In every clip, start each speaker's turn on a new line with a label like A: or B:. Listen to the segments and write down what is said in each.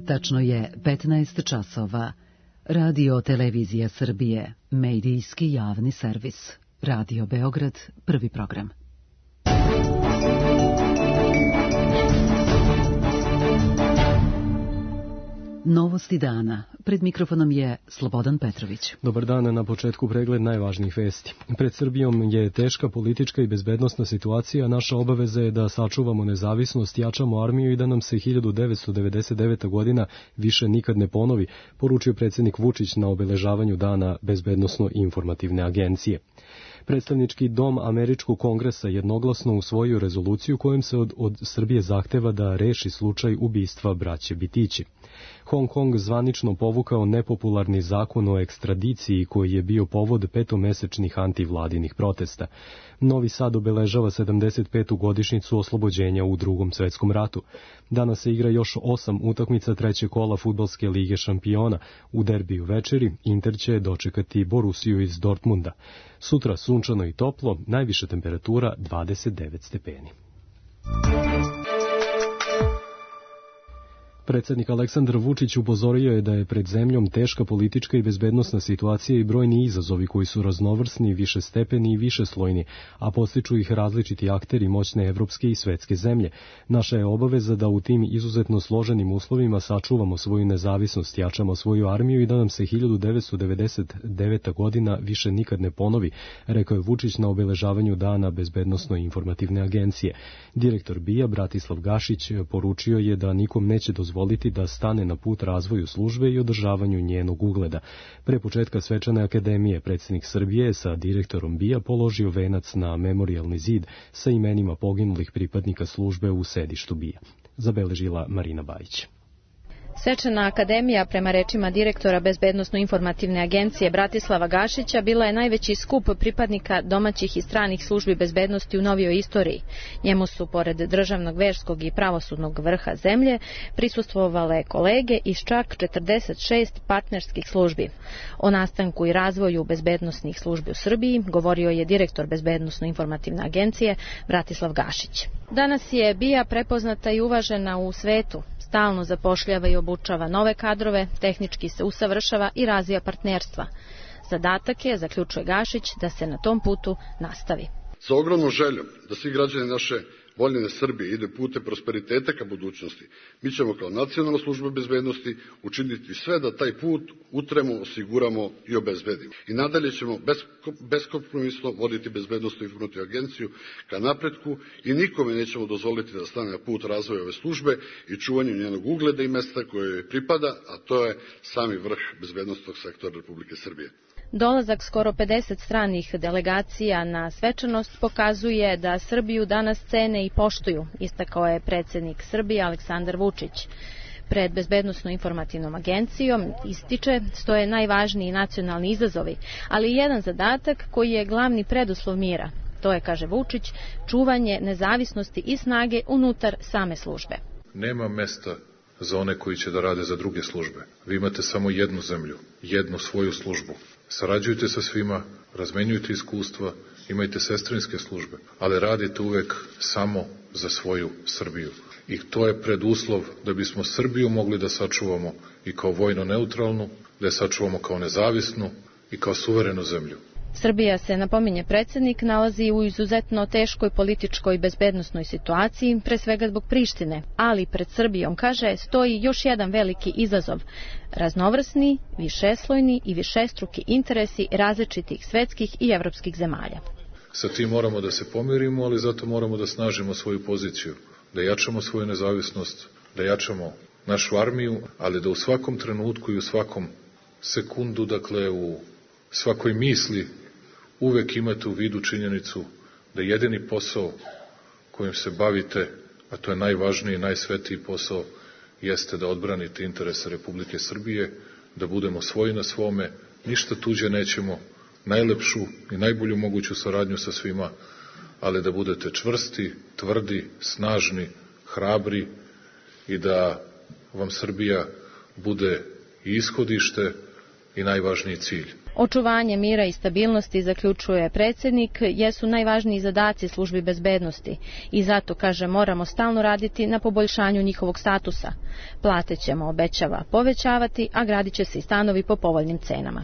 A: Tačno je 15 časova. Radio Televizija Srbije, medijski javni servis. Radio Beograd, prvi program. Novosti dana. Pred mikrofonom je Slobodan Petrović.
B: Dobar dan, na početku pregled najvažnijih vesti. Pred Srbijom je teška politička i bezbednosna situacija. Naša obaveza je da sačuvamo nezavisnost, jačamo armiju i da nam se 1999. godina više nikad ne ponovi, poručio predsjednik Vučić na obeležavanju dana Bezbednosno-informativne agencije. Predstavnički dom Američkog kongresa jednoglasno usvojio rezoluciju kojom se od Srbije zahteva da reši slučaj ubistva braće Bitići. Hong Kong zvanično povukao nepopularni zakon o ekstradiciji koji je bio povod petomesečnih antivladinih protesta. Novi Sad obeležava 75. godišnjicu oslobođenja u Drugom svetskom ratu. Danas se igra još 8 utakmica trećeg kola Fudbalske lige šampiona. U derbiju večeri Inter će dočekati Borussiju iz Dortmunda. Sutra sunčano i toplo, najviša temperatura 29 stepeni. Predsjednik Aleksandar Vučić upozorio je da je pred zemljom teška politička i bezbednosna situacija i brojni izazovi koji su raznovrsni, višestepeni i višeslojni, a podstiču ih različiti akteri moćne evropske i svetske zemlje. Naša je obaveza da u tim izuzetno složenim uslovima sačuvamo svoju nezavisnost, jačamo svoju armiju i da nam se 1999. godina više nikad ne ponovi, rekao je Vučić na obeležavanju dana Bezbednosno-informativne agencije. Direktor BIA Bratislav Gašić poručio je da nikom neće dozvoliti da stane na put razvoju službe i održavanju njenog ugleda. Pre početka svečane akademije predsjednik Srbije sa direktorom BIA položio venac na memorijalni zid sa imenima poginulih pripadnika službe u sedištu BIA. Zabeležila Marina Bajić.
C: Svečana akademija, prema rečima direktora Bezbednosno-informativne agencije Bratislava Gašića, bila je najveći skup pripadnika domaćih i stranih službi bezbednosti u novijoj istoriji. Njemu su, pored državnog, verskog i pravosudnog vrha zemlje, prisustvovale kolege iz čak 46 partnerskih službi. O nastanku i razvoju bezbednosnih službi u Srbiji govorio je direktor Bezbednosno-informativne agencije Bratislav Gašić. Danas je BIA prepoznata i uvažena u svetu. Stalno zapošljava i obučava nove kadrove, tehnički se usavršava i razvija partnerstva. Zadatak je, zaključuje Gašić, da se na tom putu nastavi.
D: Sa ogromnom željom da svi građani naše voljene Srbije ide putem prosperiteta ka budućnosti, mi ćemo kao nacionalna služba bezbednosti učiniti sve da taj put utremo, osiguramo i obezbedimo. I nadalje ćemo beskompromisno voditi Bezbednosno-informativnu agenciju ka napretku i nikome nećemo dozvoliti da stane na put razvoja ove službe i čuvanju njenog ugleda i mesta koje joj pripada, a to je sami vrh bezbednosnog sektora Republike Srbije.
C: Dolazak skoro 50 stranih delegacija na svečanost pokazuje da Srbiju danas cene i poštuju, istakao je predsjednik Srbije Aleksandar Vučić. Pred Bezbednosno-informativnom agencijom, ističe, stoje najvažniji nacionalni izazovi, ali i jedan zadatak koji je glavni preduslov mira. To je, kaže Vučić, čuvanje nezavisnosti i snage unutar same službe.
E: Nema mesta za one koji će da rade za druge službe. Vi imate samo jednu zemlju, jednu svoju službu. Sarađujte sa svima, razmenjujte iskustva, imajte sestrinske službe, ali radite uvek samo za svoju Srbiju. I to je preduslov da bismo Srbiju mogli da sačuvamo i kao vojno neutralnu, da je sačuvamo kao nezavisnu i kao suverenu zemlju.
C: Srbija se, napominje predsjednik, nalazi u izuzetno teškoj političkoj i bezbednosnoj situaciji, pre svega zbog Prištine, ali pred Srbijom, kaže, stoji još jedan veliki izazov. Raznovrsni, višeslojni i višestruki interesi različitih svetskih i evropskih zemalja.
E: Sa tim moramo da se pomirimo, ali zato moramo da snažimo svoju poziciju, da jačamo svoju nezavisnost, da jačamo našu armiju, ali da u svakom trenutku i u svakom sekundu, dakle u svakoj misli, uvek imate u vidu činjenicu da jedini posao kojim se bavite, a to je najvažniji i najsvetiji posao, jeste da odbranite interese Republike Srbije, da budemo svoji na svome, ništa tuđe nećemo, najlepšu i najbolju moguću saradnju sa svima, ali da budete čvrsti, tvrdi, snažni, hrabri i da vam Srbija bude i ishodište i najvažniji cilj.
C: Očuvanje mira i stabilnosti, zaključuje predsjednik, jesu najvažniji zadaci službi bezbednosti i zato, kaže, moramo stalno raditi na poboljšanju njihovog statusa. Plate ćemo, obećava, povećavati, a gradit će se i stanovi po povoljnim cenama.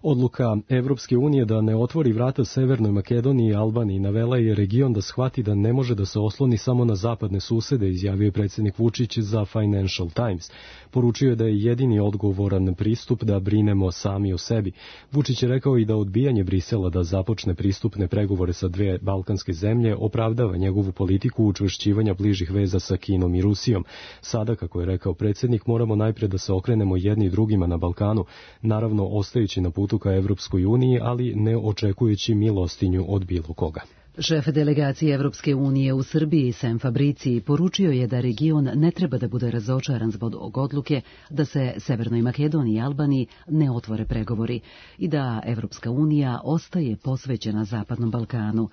B: Odluka Evropske unije da ne otvori vrata Severnoj Makedoniji i Albaniji navela je region da shvati da ne može da se osloni samo na zapadne susede, izjavio je predsjednik Vučić za Financial Times. Poručio je da je jedini odgovoran pristup da brinemo sami o sebi. Vučić je rekao i da odbijanje Brisela da započne pristupne pregovore sa dve balkanske zemlje opravdava njegovu politiku učvršćivanja bližih veza sa Kinom i Rusijom. Sada, kako je rekao predsjednik, moramo najpre da se okrenemo jedni drugima na Balkanu, naravno ostajući na putu ka Evropskoj uniji, ali ne očekujući milostinju od bilo koga.
A: Šef delegacije Evropske unije u Srbiji, Sem Fabriciji, poručio je da region ne treba da bude razočaran zbog odluke da se Severnoj Makedoniji i Albaniji ne otvore pregovori i da Evropska unija ostaje posvećena Zapadnom Balkanu.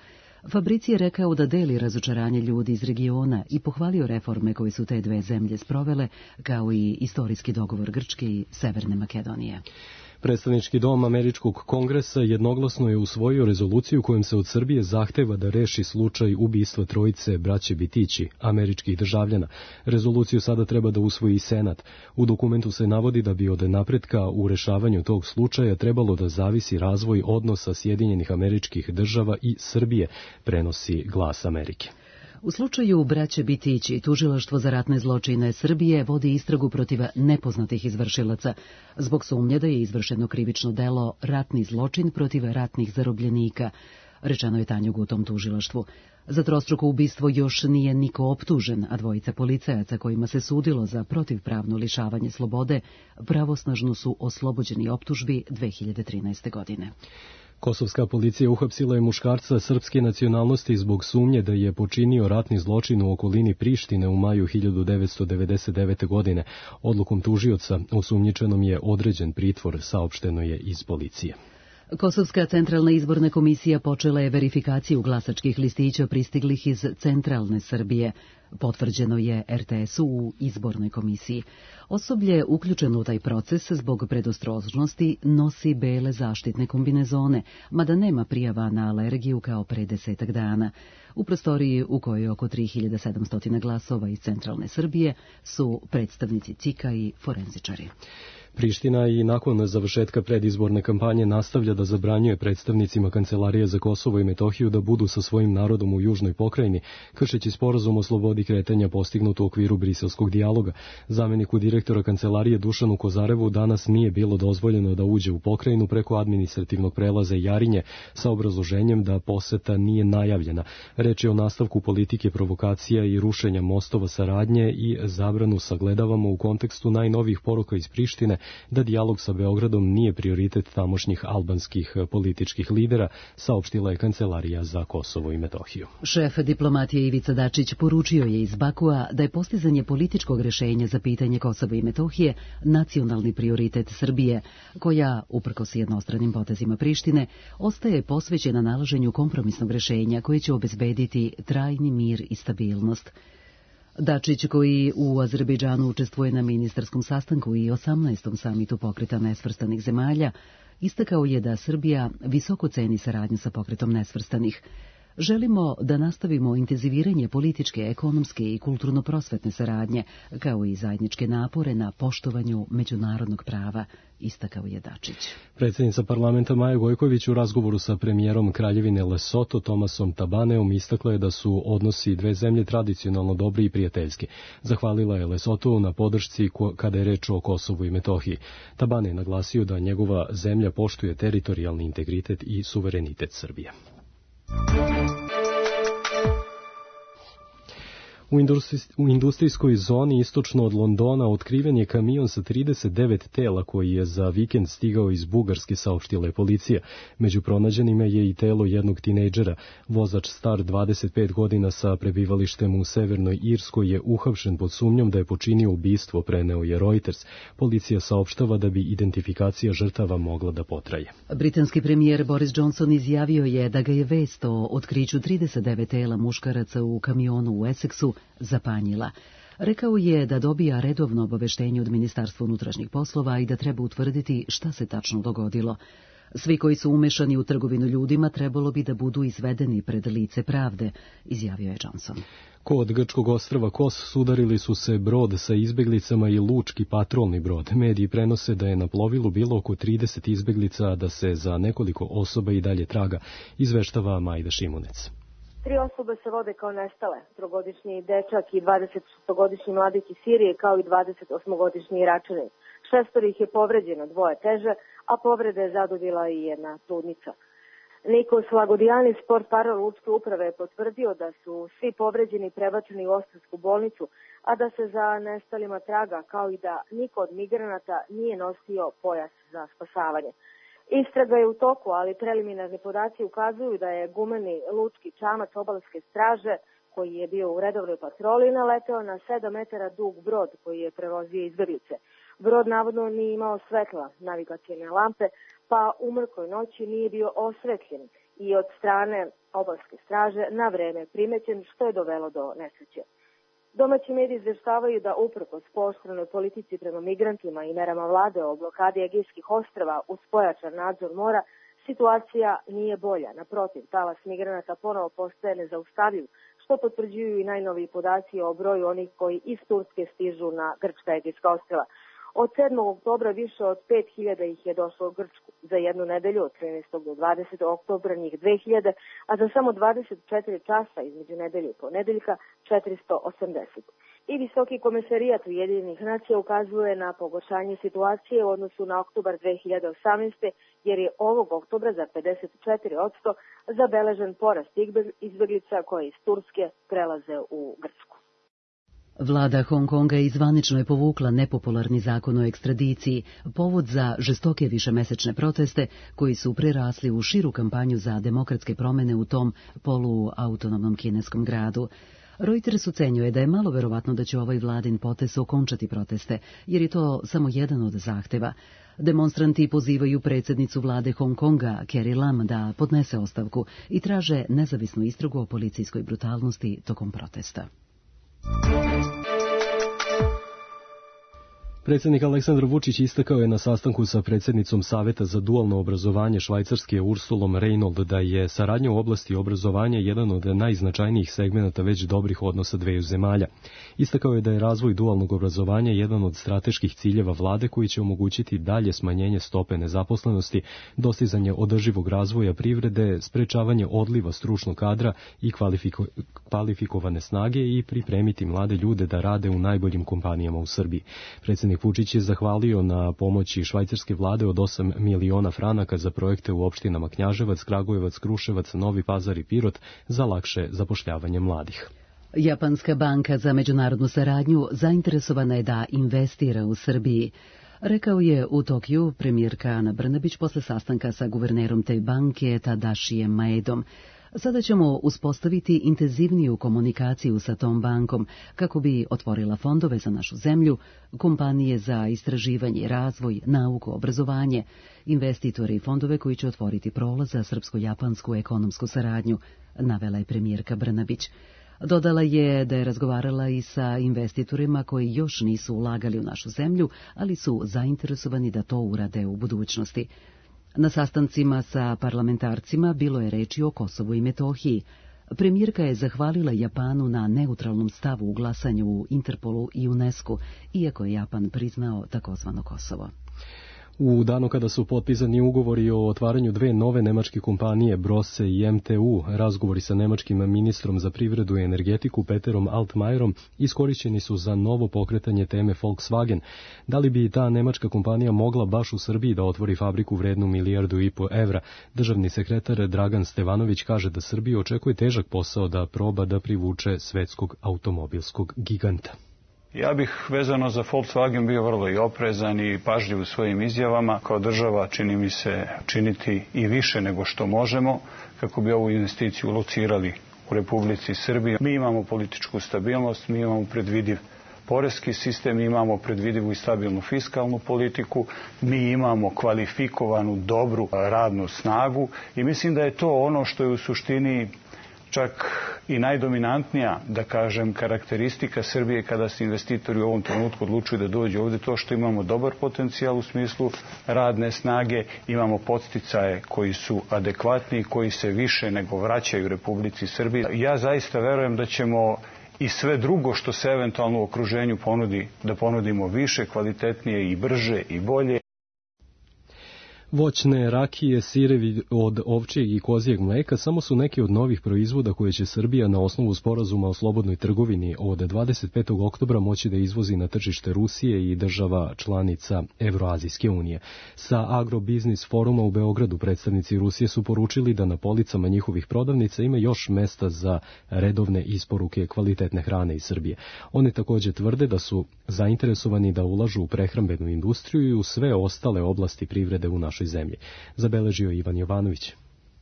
A: Fabrici je rekao da deli razočaranje ljudi iz regiona i pohvalio reforme koje su te dve zemlje sprovele, kao i istorijski dogovor Grčke i Severne Makedonije.
B: Predstavnički dom Američkog kongresa jednoglasno je usvojio rezoluciju kojom se od Srbije zahteva da reši slučaj ubistva trojice braće Bitići, američkih državljana. Rezoluciju sada treba da usvoji i Senat. U dokumentu se navodi da bi od napretka u rešavanju tog slučaja trebalo da zavisi razvoj odnosa Sjedinjenih Američkih Država i Srbije, prenosi Glas Amerike.
A: U slučaju braće Bitići, tužilaštvo za ratne zločine Srbije vodi istragu protiv nepoznatih izvršilaca, zbog sumnje da je izvršeno krivično delo ratni zločin protiv ratnih zarobljenika, rečeno je Tanjugu u tom tužilaštvu. Za trostruko ubistvo još nije niko optužen, a dvojica policajaca kojima se sudilo za protivpravno lišavanje slobode pravosnažno su oslobođeni optužbi 2013. godine.
B: Kosovska policija uhapsila je muškarca srpske nacionalnosti zbog sumnje da je počinio ratni zločin u okolini Prištine u maju 1999. godine. Odlukom tužioca osumnjičenom je određen pritvor, saopšteno je iz policije.
A: Kosovska centralna izborna komisija počela je verifikaciju glasačkih listića pristiglih iz centralne Srbije. Potvrđeno je RTS-u u izbornoj komisiji. Osoblje uključeno u taj proces zbog predostrožnosti nosi bele zaštitne kombinezone, mada nema prijava na alergiju kao pre 10 dana. U prostoriji u kojoj je oko 3700 glasova iz centralne Srbije su predstavnici CIK-a i forenzičari.
B: Priština i nakon završetka predizborne kampanje nastavlja da zabranjuje predstavnicima Kancelarije za Kosovo i Metohiju da budu sa svojim narodom u južnoj pokrajini, kršeći sporazum o slobodi kretanja postignut u okviru briselskog dijaloga. Zameniku direktora Kancelarije Dušanu Kozarevu danas nije bilo dozvoljeno da uđe u pokrajinu preko administrativnog prelaza Jarinje sa obrazloženjem da poseta nije najavljena. Reč je o nastavku politike provokacija i rušenja mostova saradnje i zabranu sagledavamo u kontekstu najnovijih poruka iz Prištine da dijalog sa Beogradom nije prioritet tamošnjih albanskih političkih lidera, saopštila je Kancelarija za Kosovo i Metohiju.
A: Šef diplomatije Ivica Dačić poručio je iz Bakua da je postizanje političkog rešenja za pitanje Kosova i Metohije nacionalni prioritet Srbije, koja, uprkos jednostranim potezima Prištine, ostaje posvećena nalaženju kompromisnog rešenja koje će obezbediti trajni mir i stabilnost. Dačić, koji u Azerbejdžanu učestvuje na ministarskom sastanku i 18. samitu pokreta nesvrstanih zemalja, istakao je da Srbija visoko ceni saradnju sa pokretom nesvrstanih. Želimo da nastavimo intenziviranje političke, ekonomske i kulturno-prosvetne saradnje, kao i zajedničke napore na poštovanju međunarodnog prava, istakao je Dačić.
B: Predsjednica parlamenta Maja Gojković u razgovoru sa premijerom Kraljevine Lesoto Tomasom Tabaneom istakla je da su odnosi dve zemlje tradicionalno dobri i prijateljski. Zahvalila je Lesotu na podršci kada je reč o Kosovu i Metohiji. Tabane je naglasio da njegova zemlja poštuje teritorijalni integritet i suverenitet Srbije. U industrijskoj zoni istočno od Londona otkriven je kamion sa 39 tela koji je za vikend stigao iz Bugarske, saopštila je policija. Među pronađenima je i telo jednog tinejdžera. Vozač star 25 godina sa prebivalištem u Severnoj Irskoj je uhapšen pod sumnjom da je počinio ubistvo, preneo je Reuters. Policija saopštava da bi identifikacija žrtava mogla da potraje.
A: Britanski premijer Boris Johnson izjavio je da ga je vest o otkriću 39 tela muškaraca u kamionu u Essexu zapanjila. Rekao je da dobija redovno obaveštenje od Ministarstva unutrašnjih poslova i da treba utvrditi šta se tačno dogodilo. Svi koji su umešani u trgovinu ljudima trebalo bi da budu izvedeni pred lice pravde, izjavio je Johnson.
B: Kod grčkog ostrva Kos sudarili su se brod sa izbeglicama i lučki patrolni brod. Mediji prenose da je na plovilu bilo oko 30 izbeglica, a da se za nekoliko osoba i dalje traga, izveštava Majda Šimunec.
F: 3 osobe se vode kao nestale, 3-godišnji dečak i 26-godišnji mladić iz Sirije, kao i 28-godišnji Iračanin. 6 ih je povređeno, 2 teže, a povrede je zadobila i 1 trudnica. Nikos Lagodijanis, portparol lučke uprave, je potvrdio da su svi povređeni prebačeni u Ostarsku bolnicu, a da se za nestalima traga, kao i da niko od migranata nije nosio pojas za spasavanje. Istraga je u toku, ali preliminarni podaci ukazuju da je gumeni lučki čamac obalske straže, koji je bio u redovnoj patroli, naleteo na 7 metara dug brod koji je prevozio izbeglice. Brod navodno nije imao svetla, navigacijne lampe, pa u mrkoj noći nije bio osvetljen i od strane obalske straže na vreme primećen, što je dovelo do nesreće. Domaći mediji izveštavaju da uprkos pooštrenoj politici prema migrantima i merama vlade o blokadi Egejskih ostrva uz pojačan nadzor mora, situacija nije bolja. Naprotiv, talas migranata ponovo postaje nezaustavljiv, što potvrđuju i najnoviji podaci o broju onih koji iz Turske stižu na grčka Egejska ostrva. Od 7. oktobra više od 5.000 ih je došlo u Grčku. Za jednu nedelju od 13. do 20. oktobra njih 2.000, a za samo 24 časa između nedelje i ponedeljka 480. I Visoki komesarijat Ujedinjenih nacija ukazuje na pogoršanje situacije u odnosu na oktobar 2018. jer je ovog oktobra za 54% zabeležen porast izbeglica koje iz Turske prelaze u Grčku.
A: Vlada Hong Konga izvanično je povukla nepopularni zakon o ekstradiciji, povod za žestoke višemesečne proteste koji su prerasli u širu kampanju za demokratske promene u tom poluautonomnom kineskom gradu. Reuters ocenjuje da je malo verovatno da će ovaj vladin potez okončati proteste, jer je to samo jedan od zahteva. Demonstranti pozivaju predsjednicu vlade Hong Konga, Carrie Lam, da podnese ostavku i traže nezavisnu istragu o policijskoj brutalnosti tokom protesta.
B: Predsjednik Aleksandar Vučić istakao je na sastanku sa predsjednicom Saveta za dualno obrazovanje Švajcarske Ursulom Reynold da je saradnja u oblasti obrazovanja jedan od najznačajnijih segmenata već dobrih odnosa dveju zemalja. Istakao je da je razvoj dualnog obrazovanja jedan od strateških ciljeva vlade koji će omogućiti dalje smanjenje stope nezaposlenosti, dostizanje održivog razvoja privrede, sprečavanje odliva stručnog kadra i kvalifikovane snage i pripremiti mlade ljude da rade u najboljim kompanijama u Srbiji. Predsjednik Vučić je zahvalio na pomoći švajcarske vlade od 8 miliona franaka za projekte u opštinama Knjaževac, Kragujevac, Kruševac, Novi Pazar i Pirot za lakše zapošljavanje mladih.
A: Japanska banka za međunarodnu saradnju zainteresovana je da investira u Srbiji. Rekao je u Tokiju premijerka Ana Brnabić posle sastanka sa guvernerom te banke Tadašijem Maedom. Sada ćemo uspostaviti intenzivniju komunikaciju sa tom bankom kako bi otvorila fondove za našu zemlju, kompanije za istraživanje, razvoj, nauku, obrazovanje, investitore i fondove koji će otvoriti prolaz za srpsko-japansku ekonomsku saradnju, navela je premijerka Brnabić. Dodala je da je razgovarala i sa investitorima koji još nisu ulagali u našu zemlju, ali su zainteresovani da to urade u budućnosti. Na sastancima sa parlamentarcima bilo je reči o Kosovu i Metohiji. Premijerka je zahvalila Japanu na neutralnom stavu u glasanju u Interpolu i UNESCO, iako je Japan priznao takozvano Kosovo.
B: U danu kada su potpisani ugovori o otvaranju dve nove nemačke kompanije, Brose i MTU, razgovori sa nemačkim ministrom za privredu i energetiku Peterom Altmajerom iskorišćeni su za novo pokretanje teme Volkswagen. Da li bi ta nemačka kompanija mogla baš u Srbiji da otvori fabriku vrednu 1,5 milijarde evra? Državni sekretar Dragan Stevanović kaže da Srbiju očekuje težak posao da proba da privuče svetskog automobilskog giganta.
G: Ja bih vezano za Volkswagen bio vrlo i oprezan i pažljiv u svojim izjavama. Kao država čini mi se činiti i više nego što možemo kako bi ovu investiciju locirali u Republici Srbiji. Mi imamo političku stabilnost, mi imamo predvidiv poreski sistem, mi imamo predvidivu i stabilnu fiskalnu politiku, mi imamo kvalifikovanu, dobru radnu snagu i mislim da je to ono što je u suštini čak i najdominantnija, da kažem, karakteristika Srbije kada se investitori u ovom trenutku odlučuju da dođu ovde, to što imamo dobar potencijal u smislu radne snage, imamo podsticaje koji su adekvatni, koji se više nego vraćaju Republici Srbiji. Ja zaista verujem da ćemo i sve drugo što se eventualno u okruženju ponudi, da ponudimo više, kvalitetnije i brže i bolje.
B: Voćne, rakije, sirevi od ovčjeg i kozijeg mleka samo su neki od novih proizvoda koje će Srbija na osnovu sporazuma o slobodnoj trgovini od 25. oktobra moći da izvozi na tržište Rusije i država članica Evroazijske unije. Sa Agrobiznis foruma u Beogradu predstavnici Rusije su poručili da na policama njihovih prodavnica ima još mesta za redovne isporuke kvalitetne hrane iz Srbije. Oni takođe tvrde da su zainteresovani da ulažu u prehrambenu industriju i u sve ostale oblasti privrede u našoj zemlji, zabeležio Ivan Jovanović.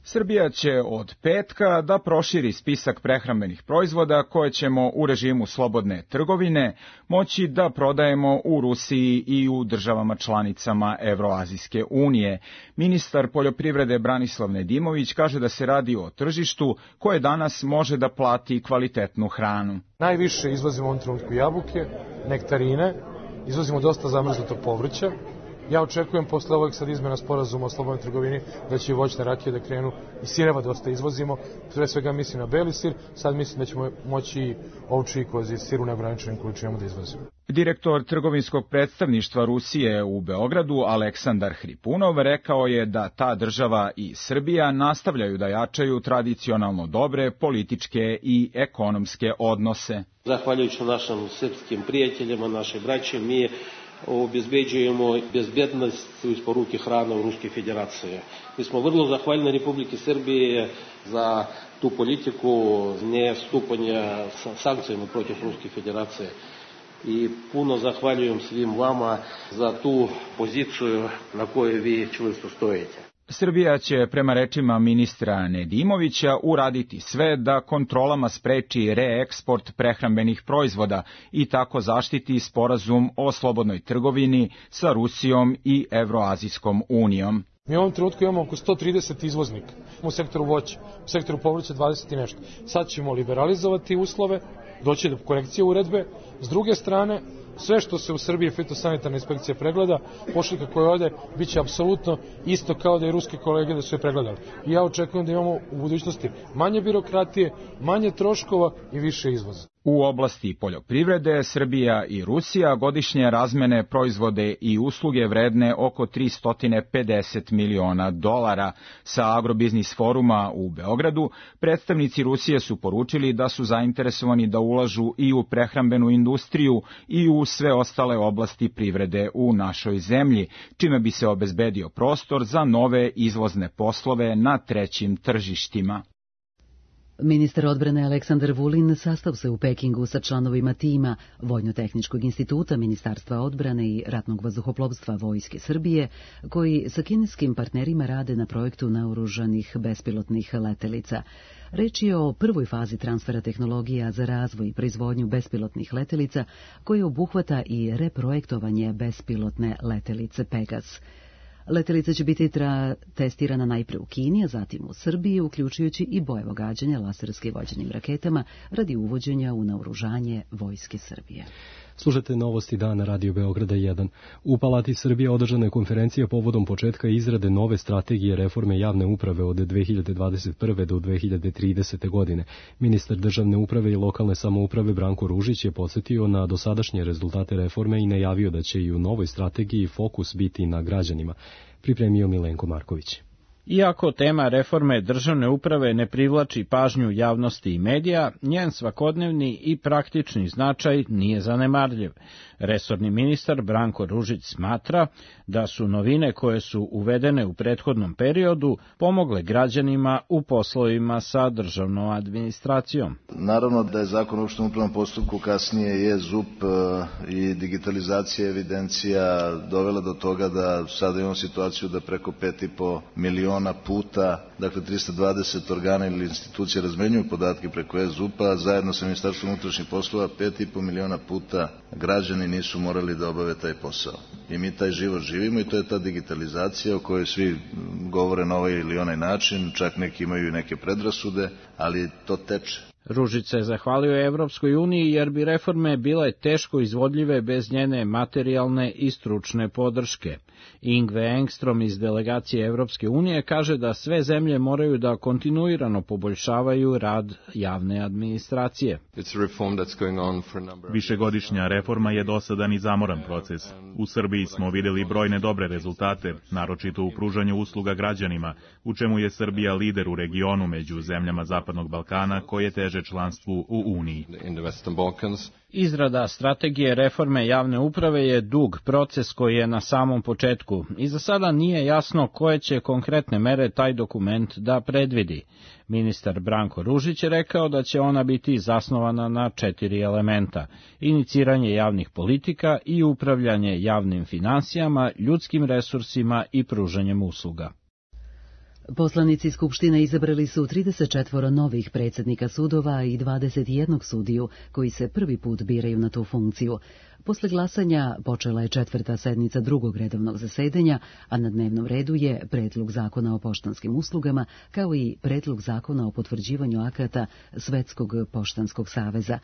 H: Srbija će od petka da proširi spisak prehrambenih proizvoda koje ćemo u režimu slobodne trgovine moći da prodajemo u Rusiji i u državama članicama Evroazijske unije. Ministar poljoprivrede Branislav Nedimović kaže da se radi o tržištu koje danas može da plati kvalitetnu hranu.
I: Najviše izvozimo u ovom trenutku jabuke, nektarine, izvozimo dosta zamrznutog povrća. Ja očekujem posle ovog sad izmena sporazuma o slobodnoj trgovini da će i voćne rakije da krenu i sireva dosta izvozimo. Pre svega mislim na beli sir, sad mislim da ćemo moći i ovčji i kozji sir u neograničenim količinama da izvozimo.
H: Direktor trgovinskog predstavništva Rusije u Beogradu, Aleksandar Hripunov, rekao je da ta država i Srbija nastavljaju da jačaju tradicionalno dobre političke i ekonomske odnose.
J: Zahvaljujući našim srpskim prijateljima, naše braće, mi obezbeđujemo bezbednost u isporuki hrane u Ruskoj federaciji. Mi smo vrlo zahvaljni Republike Srbije za tu politiku nestupanja sankcijama protiv Ruske federacije. I puno zahvaljujem svim vama za tu poziciju na kojoj vi čvrsto stojite.
H: Srbija će, prema rečima ministra Nedimovića, uraditi sve da kontrolama spreči reeksport prehrambenih proizvoda i tako zaštiti sporazum o slobodnoj trgovini sa Rusijom i Evroazijskom unijom.
I: Mi u ovom trenutku imamo oko 130 izvoznika u sektoru voća, u sektoru povrća 20 i nešto. Sad ćemo liberalizovati uslove, doći do korekcije uredbe. S druge strane, sve što se u Srbiji fitosanitarna inspekcija pregleda, pošiljka koja ode, bit će apsolutno isto kao da i ruske kolege da su je pregledali. I ja očekujem da imamo u budućnosti manje birokratije, manje troškova i više izvoza.
H: U oblasti poljoprivrede, Srbija i Rusija godišnje razmene proizvode i usluge vredne oko $350 miliona. Sa Agrobiznis foruma u Beogradu, predstavnici Rusije su poručili da su zainteresovani da ulažu i u prehrambenu industriju i u sve ostale oblasti privrede u našoj zemlji, čime bi se obezbedio prostor za nove izvozne poslove na trećim tržištima.
A: Ministar odbrane Aleksandar Vulin sastao se u Pekingu sa članovima tima Vojno-tehničkog instituta Ministarstva odbrane i ratnog vazduhoplovstva Vojske Srbije, koji sa kineskim partnerima rade na projektu naoružanih bespilotnih letelica. Reč je o prvoj fazi transfera tehnologija za razvoj i proizvodnju bespilotnih letelica, koje obuhvata i reprojektovanje bespilotne letelice Pegas. Letelica će biti testirana najpre u Kini, a zatim u Srbiji, uključujući i bojevo gađanje laserski vođenim raketama radi uvođenja u naoružanje Vojske Srbije.
B: Slušajte novosti dana Radio Beograda 1. U Palati Srbije održana je konferencija povodom početka izrade nove strategije reforme javne uprave od 2021. do 2030. godine. Ministar državne uprave i lokalne samouprave Branko Ružić je podsjetio na dosadašnje rezultate reforme i najavio da će i u novoj strategiji fokus biti na građanima. Pripremio Milenko Marković.
K: Iako tema reforme državne uprave ne privlači pažnju javnosti i medija, njen svakodnevni i praktični značaj nije zanemarljiv. Resorni ministar Branko Ružić smatra da su novine koje su uvedene u prethodnom periodu pomogle građanima u poslovima sa državnom administracijom.
L: Naravno da je zakon o opštem upravnom postupku, kasnije je ZUP i digitalizacija evidencija dovela do toga da sada imamo situaciju da preko 5,5 miliona miliona puta, dakle 320 organa ili institucija razmenjuju podatke preko e-ZUP-a, zajedno sa Ministarstvom unutrašnjih poslova 5,5 miliona puta građani nisu morali da obave taj posao. I mi taj život živimo i to je ta digitalizacija o kojoj svi govore na ovaj ili onaj način, čak neki imaju i neke predrasude, ali to teče.
K: Ružica je zahvalio Evropskoj uniji jer bi reforme bile teško izvodljive bez njene materijalne i stručne podrške. Ingve Engstrom iz delegacije Evropske unije kaže da sve zemlje moraju da kontinuirano poboljšavaju rad javne administracije.
M: Višegodišnja reforma je dosadan i zamoran proces. U Srbiji smo videli brojne dobre rezultate, naročito u pružanju usluga građanima, u čemu je Srbija lider u regionu među zemljama Zapadnog Balkana koje teže članstvu u Uniji.
K: Izrada strategije reforme javne uprave je dug proces koji je na samom početku i za sada nije jasno koje će konkretne mere taj dokument da predvidi. Ministar Branko Ružić je rekao da će ona biti zasnovana na 4 elementa: iniciranje javnih politika i upravljanje javnim finansijama, ljudskim resursima i pružanjem usluga.
A: Poslanici Skupštine izabrali su 34 novih predsjednika sudova i 21 sudiju koji se prvi put biraju na tu funkciju. Posle glasanja počela je 4. sednica drugog redovnog zasedanja, a na dnevnom redu je Predlog zakona o poštanskim uslugama, kao i Predlog zakona o potvrđivanju akata Svetskog poštanskog saveza.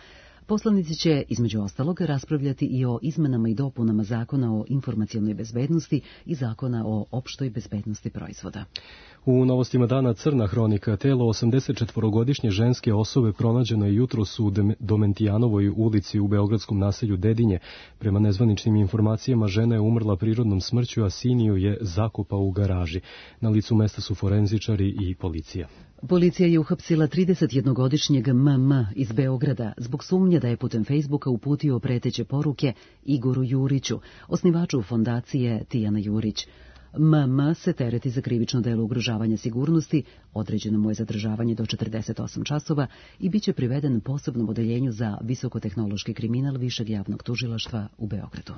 A: Poslanici će, između ostalog, raspravljati i o izmenama i dopunama Zakona o informacionoj bezbednosti i Zakona o opštoj bezbednosti proizvoda.
B: U novostima dana crna hronika, telo 84-godišnje ženske osobe pronađeno je jutros u Domentijanovoj ulici u beogradskom naselju Dedinje. Prema nezvaničnim informacijama, žena je umrla prirodnom smrću, a sin ju je zakopao u garaži. Na licu mesta su forenzičari i policija.
A: Policija je uhapsila 31-godišnjeg MM iz Beograda zbog sumnje da je putem Facebooka uputio preteće poruke Igoru Juriću, osnivaču fondacije Tijana Jurić. MM se tereti za krivično delo ugrožavanja sigurnosti, određeno mu je zadržavanje do 48 časova i bit će priveden posebnom odeljenju za visokotehnološki kriminal Višeg javnog tužilaštva u Beogradu.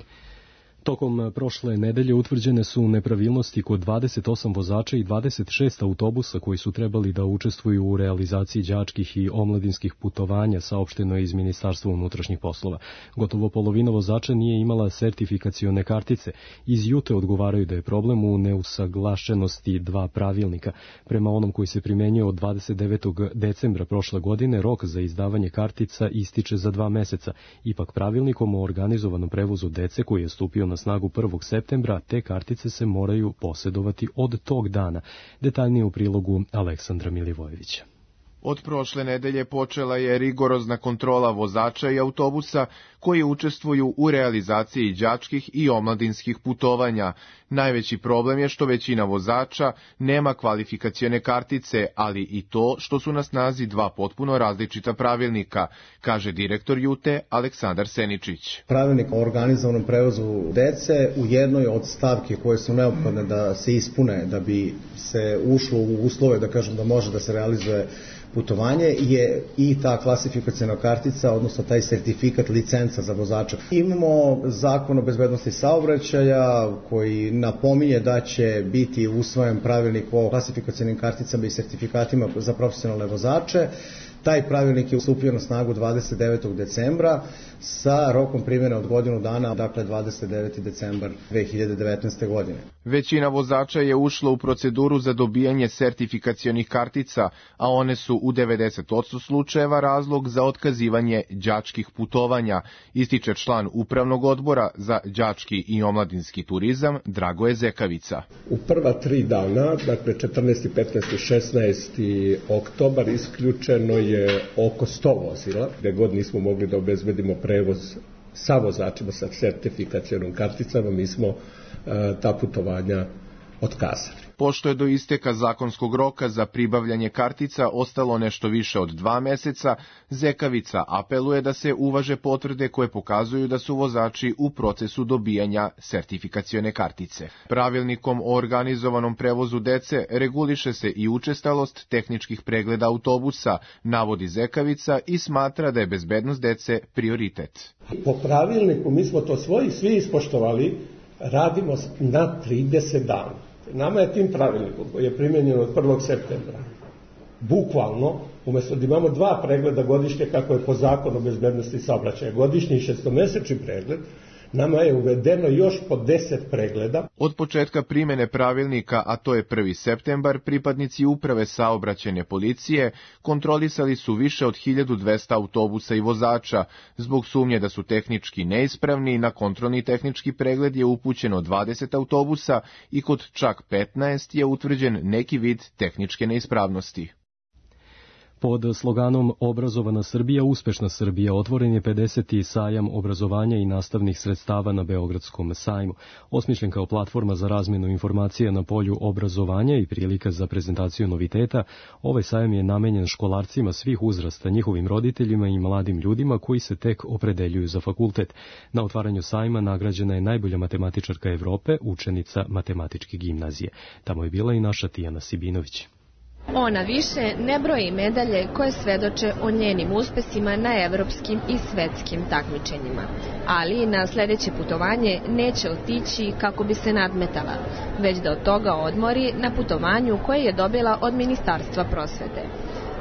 B: Tokom prošle nedelje utvrđene su nepravilnosti kod 28 vozača i 26 autobusa koji su trebali da učestvuju u realizaciji đačkih i omladinskih putovanja, saopšteno je iz Ministarstva unutrašnjih poslova. Gotovo polovina vozača nije imala sertifikacione kartice. Iz Jute odgovaraju da je problem u neusaglašenosti 2 pravilnika. Prema onom koji se primenjuje od 29. decembra prošle godine, rok za izdavanje kartica ističe za 2 meseca. Ipak pravilnikom o organizovanom prevozu dece koji je stupio na snagu 1. septembra, te kartice se moraju posjedovati od tog dana. Detaljnije u prilogu Aleksandra Milivojevića.
N: Od prošle nedelje počela je rigorozna kontrola vozača i autobusa koji učestvuju u realizaciji đačkih i omladinskih putovanja. Najveći problem je što većina vozača nema kvalifikacione kartice, ali i to što su na snazi 2 potpuno različita pravilnika, kaže direktor Jute Aleksandar Seničić.
O: Pravilnik o organizovanom prevozu dece u jednoj od stavke koje su neophodne da se ispune da bi se ušlo u uslove, da kažem, da može da se realizuje putovanje, je i ta klasifikacijna kartica, odnosno taj sertifikat, licenca za vozača. Imamo Zakon o bezbednosti saobraćaja koji napominje da će biti usvojen pravilnik o klasifikacijnim karticama i sertifikatima za profesionalne vozače. Taj pravilnik je stupio na snagu 29. decembra sa rokom primjene od godinu dana, dakle 29. decembar 2019. godine.
N: Većina vozača je ušla u proceduru za dobijanje sertifikacionih kartica, a one su u 90% slučajeva razlog za otkazivanje đačkih putovanja, ističe član Upravnog odbora za đački i omladinski turizam Dragoje Zekavica.
P: U prva 3 dana, dakle 14., 15. i 16. oktobar, isključeno je oko 100 vozila, gde god nismo mogli da obezbedimo prevoz sa vozačima sa sertifikacionom karticama, mi smo ta putovanja otkazali.
N: Pošto je do isteka zakonskog roka za pribavljanje kartica ostalo nešto više od 2 meseca, Zekavica apeluje da se uvaže potvrde koje pokazuju da su vozači u procesu dobijanja sertifikacione kartice. Pravilnikom o organizovanom prevozu dece reguliše se i učestalost tehničkih pregleda autobusa, navodi Zekavica i smatra da je bezbednost dece prioritet.
P: Po pravilniku mi smo to svi ispoštovali, radimo na 30 dana. Nama je tim pravilnikom koji je primjenjen od 1. septembra, bukvalno, umjesto da imamo 2 pregleda godišnje kako je po zakonu o bezbednosti saobraćaja, godišnji i 6-mesečni pregled, nama je uvedeno još po 10 pregleda.
N: Od početka primjene pravilnika, a to je 1. septembar, pripadnici uprave saobraćajne policije kontrolisali su više od 1200 autobusa i vozača. Zbog sumnje da su tehnički neispravni, na kontrolni tehnički pregled je upućeno 20 autobusa i kod čak 15 je utvrđen neki vid tehničke neispravnosti.
B: Pod sloganom Obrazovana Srbija, uspešna Srbija otvoren je 50. sajam obrazovanja i nastavnih sredstava na Beogradskom sajmu. Osmišljen kao platforma za razmjenu informacija na polju obrazovanja i prilika za prezentaciju noviteta, ovaj sajam je namenjen školarcima svih uzrasta, njihovim roditeljima i mladim ljudima koji se tek opredeljuju za fakultet. Na otvaranju sajma nagrađena je najbolja matematičarka Evrope, učenica matematičke gimnazije. Tamo je bila i naša Tijana Sibinović.
Q: Ona više ne broji medalje koje svedoče o njenim uspesima na evropskim i svetskim takmičenjima, ali na sledeće putovanje neće otići kako bi se nadmetala, već da od toga odmori na putovanju koje je dobila od Ministarstva prosvete.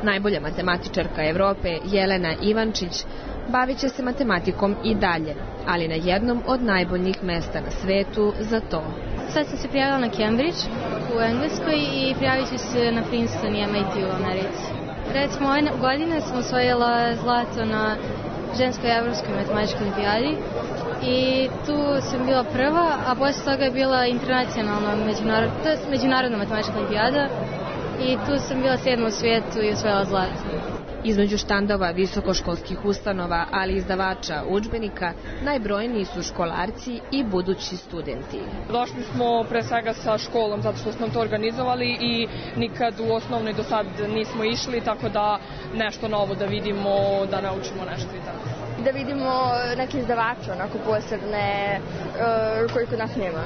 Q: Najbolja matematičarka Evrope Jelena Ivančić bavit će se matematikom i dalje, ali na jednom od najboljih mesta na svetu za to.
R: Sad sam se prijavila na Cambridge u Engleskoj i prijavit ću se na Princeton i MIT u Americi. Recimo, ove godine sam osvojila zlato na ženskoj evropskoj matematičkoj olimpijadi i tu sam bila prva, a posle toga je bila internacionalna međunarodna matematička olimpijada i tu sam bila 7. u svijetu i osvojila zlato.
Q: Između štandova visokoškolskih ustanova, ali i izdavača udžbenika, najbrojniji su školarci i budući studenti.
S: Došli smo pre svega sa školom zato što smo to organizovali i nikad u osnovnoj do sad nismo išli, tako da nešto novo da vidimo, da naučimo nešto i tako.
T: Da vidimo neke izdavače, onako posebne, koji kod nas nema.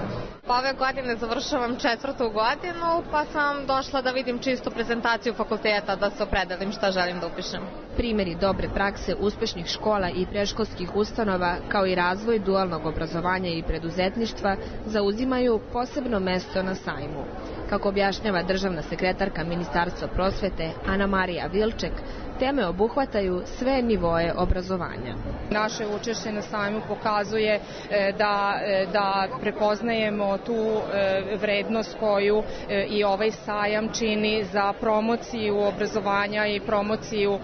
T: Ove godine završavam 4. godinu, pa sam došla da vidim čisto prezentaciju fakulteta, da se opredelim šta želim da upišem.
Q: Primjeri dobre prakse uspešnih škola i predškolskih ustanova, kao i razvoj dualnog obrazovanja i preduzetništva, zauzimaju posebno mesto na sajmu. Kako objašnjava državna sekretarka Ministarstva prosvete Ana Marija Vilček, teme obuhvataju sve nivoe obrazovanja.
S: Naše učešće na sajmu pokazuje da prepoznajemo tu vrednost koju i ovaj sajam čini za promociju obrazovanja i promociju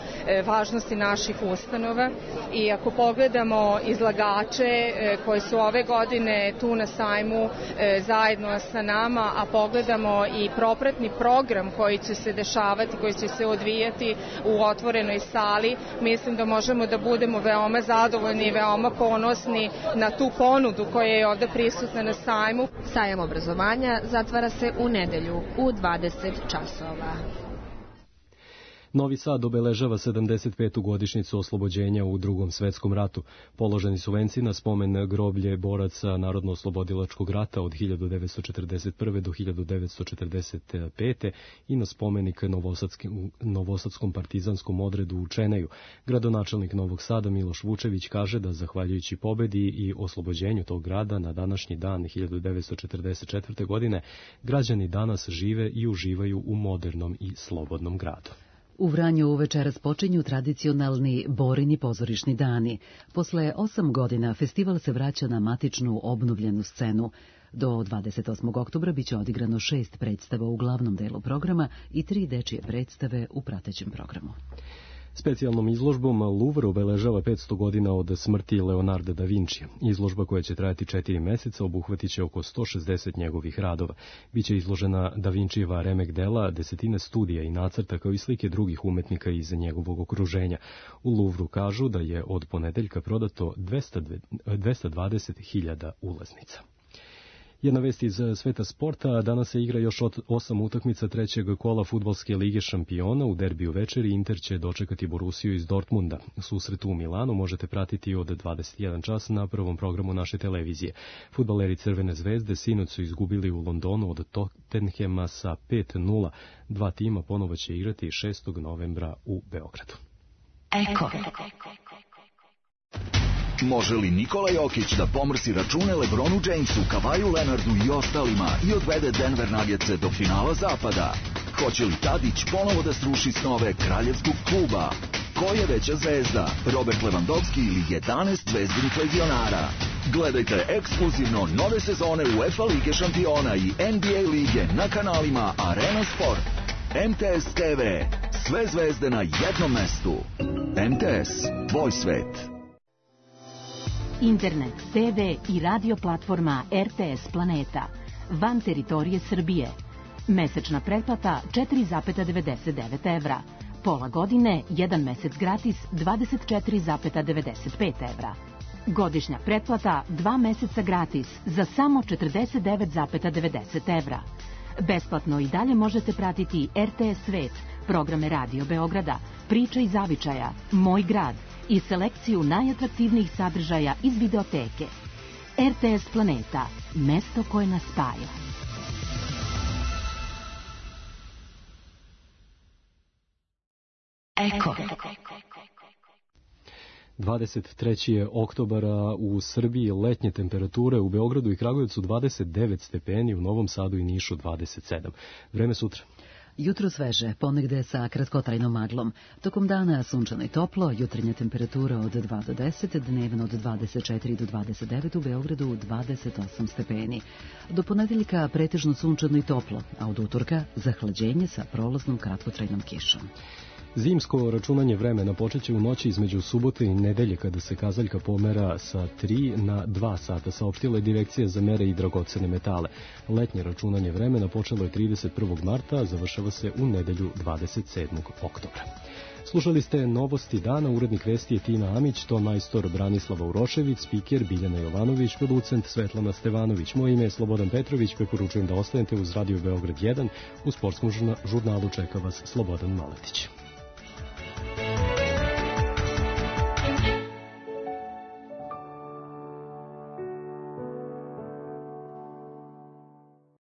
S: važnosti naših ustanova. I ako pogledamo izlagače koji su ove godine tu na sajmu zajedno sa nama, a pogledamo i propratni program koji će se dešavati, koji će se odvijati u otvorenoj sali, mislim da možemo da budemo veoma zadovoljni i veoma ponosni na tu ponudu koja je ovde prisutna na sajmu.
Q: Sajam obrazovanja zatvara se u nedelju u 20 časova.
B: Novi Sad obeležava 75. godišnjicu oslobođenja u Drugom svetskom ratu. Položeni su venci na spomen groblje boraca Narodno-oslobodilačkog rata od 1941. do 1945. i na spomenik Novosadskom partizanskom odredu u Čeneju. Gradonačelnik Novog Sada Miloš Vučević kaže da zahvaljujući pobedi i oslobođenju tog grada na današnji dan 1944. godine građani danas žive i uživaju u modernom i slobodnom gradu.
A: U Vranju večeras počinju tradicionalni Borini pozorišni dani. Posle 8 godina festival se vraća na matičnu obnovljenu scenu. Do 28. oktobra biće odigrano 6 predstava u glavnom delu programa i 3 dečije predstave u pratećem programu.
B: Specijalnom izložbom Louvre obeležava 500 godina od smrti Leonarda da Vincija. Izložba koja će trajati 4 meseca obuhvatit će oko 160 njegovih radova. Biće izložena da Vincijeva remek dela, desetine studija i nacrta kao i slike drugih umetnika iz njegovog okruženja. U Louvru kažu da je od ponedeljka prodato 220.000 ulaznica. Jedna vest iz sveta sporta, danas se igra još 8 utakmica trećeg kola fudbalske lige šampiona. U derbiju večeri Inter će dočekati Borussiju iz Dortmunda. Susret u Milanu možete pratiti od 21 čas na prvom programu naše televizije. Fudbaleri Crvene zvezde sinoć su izgubili u Londonu od Tottenhema sa 5:0. Dva tima ponovo će igrati 6. novembra u Beogradu.
U: Eko. Može li Nikola Jokić da pomrsi račune LeBronu Jamesu, Kavaju Leonardu i ostalima i odvede Denver Nuggetse do finala zapada? Hoće li Tadić ponovo da sruši snove kraljevskog kluba? Ko je veća zvezda, Robert Lewandowski ili 11 zvezdinih legionara? Gledajte ekskluzivno nove sezone UEFA Lige šampiona i NBA lige na kanalima Arena Sport. MTS TV. Sve zvezde na jednom mestu. MTS. Tvoj svet.
V: Internet, TV i radio platforma RTS Planeta. Van teritorije Srbije. Mesečna pretplata 4,99 evra. Pola godine, 1 mesec gratis 24,95 evra. Godišnja pretplata 2 meseca gratis za samo 49,90 evra. Besplatno i dalje možete pratiti RTS Svet, programe Radio Beograda, Priče i zavičaja, Moj grad i selekciju najatraktivnijih sadržaja iz videoteke. RTS Planeta, mesto koje nas spaja.
A: Eko.
B: 23. je oktobara, u Srbiji letnje temperature, u Beogradu i Kragujevcu 29 stepeni, u Novom Sadu i Nišu 27. Vreme sutra.
A: Jutro sveže, ponegde sa kratkotrajnom maglom. Tokom dana sunčano i toplo, jutarnja temperatura od 2 do 10, dnevno od 24 do 29, u Beogradu 28 stepeni. Do ponedeljka pretežno sunčano i toplo, a od utorka zahlađenje sa prolaznom kratkotrajnom kišom.
B: Zimsko računanje vremena počeće u noći između subote i nedelje, kada se kazaljka pomera sa 3 na 2 sata, saopštila je Direkcija za mere i dragocene metale. Letnje računanje vremena počelo je 31. marta, a završava se u nedelju 27. oktobra. Slušali ste novosti dana, urednik vesti je Tina Amić, ton majstor Branislava Urošević, spiker Biljana Jovanović, producent Svetlana Stevanović. Moje ime je Slobodan Petrović, preporučujem da ostanete uz Radio Beograd 1. U sportskom žurnalu čeka vas Slobodan Maletić.